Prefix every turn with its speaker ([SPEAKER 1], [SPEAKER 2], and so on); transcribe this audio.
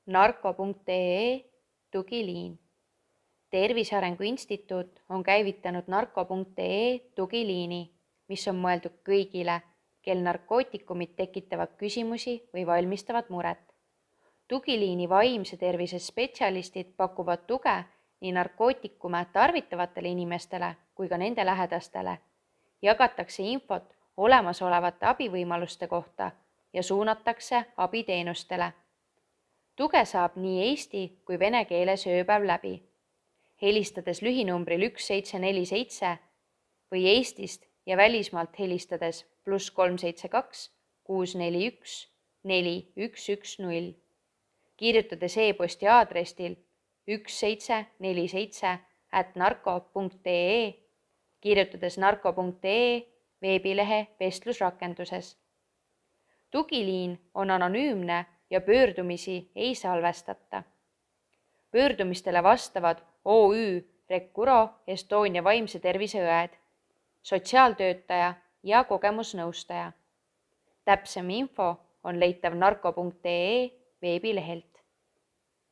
[SPEAKER 1] narko.ee tugiliin. Tervise Arengu Instituut on käivitanud narko.ee tugiliini, mis on mõeldud kõigile, kel narkootikumid tekitavad küsimusi või valmistavad muret. Tugiliini vaimse tervise spetsialistid pakuvad tuge nii narkootikume tarvitavatele inimestele kui ka nende lähedastele. Jagatakse infot olemasolevate abivõimaluste kohta ja suunatakse abiteenustele. Tuge saab nii eesti kui vene keeles ööpäev läbi. Helistades lühinumbril 1747 või Eestist ja välismaalt helistades +372 641 4110. Kirjutades e-posti aadressil 1747@narko.ee, kirjutades narko.ee veebilehe vestlusrakenduses. Tugiliin on anonüümne ja pöördumisi ei salvestata. Pöördumistele vastavad OÜ Recuro Estonia vaimse tervise õed, sotsiaaltöötaja ja kogemusnõustaja. Täpsem info on leitav narko.ee veebilehelt.